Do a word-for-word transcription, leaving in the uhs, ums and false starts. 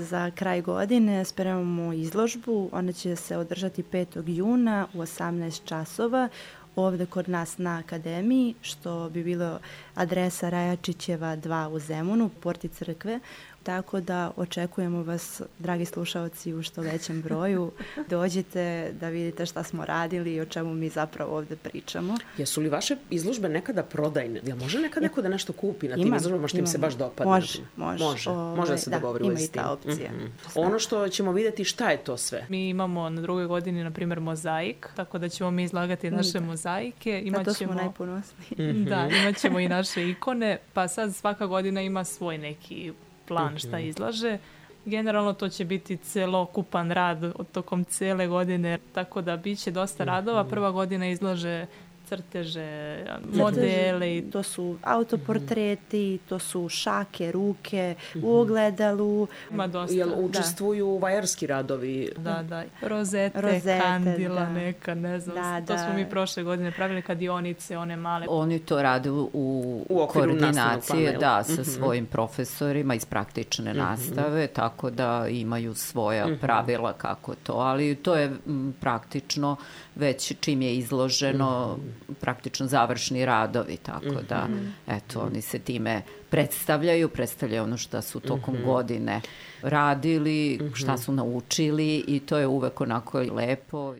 Za kraj godine spremamo izložbu, ona će se održati petog juna u osamnaest časova ovde kod nas na akademiji, što bi bilo adresa Rajačićeva dva u Zemunu, porti crkve. Tako da očekujemo vas, dragi slušaoci, u što većem broju. Dođite da vidite šta smo radili i o čemu mi zapravo ovde pričamo. Jesu li vaše izložbe nekada prodajne? Jel može nekad neko da nešto kupi na tim Ima, izložbama što im se baš dopadne? Može, može. Može, Ove, može da se da, dogovori ima u i ta opcija. Mm-hmm. Ono što ćemo vidjeti, šta je to sve? Mi imamo na drugoj godini, na primjer, mozaik, tako da ćemo mi izlagati naše da. mozaike. Imat Zato ćemo, smo najponosniji. Mm-hmm. Da, imat ćemo i naše ikone, pa sad svaka godina ima svoj neki plan šta izlaže. Generalno to će biti celokupan rad od tokom cele godine, tako da bit će dosta radova. Prva godina izlaže crteže, modele. To su autoportreti, to su šake, ruke, u ogledalu. Ima dosta. Jel učestvuju da. vajarski radovi? Da, da. Rozete, Rozete kandila da. neka, ne znam. Da, to da. smo mi prošle godine pravili kadionice, one male. Oni to rade u, u koordinaciji da, sa mm-hmm. svojim profesorima iz praktične mm-hmm. nastave, tako da imaju svoja mm-hmm. pravila kako to, ali to je m, praktično već čim je izloženo mm-hmm. praktično završni radovi, tako mm-hmm. da eto, oni se time predstavljaju, predstavljaju ono što su tokom mm-hmm. godine radili, mm-hmm. šta su naučili i to je uvek onako lepo.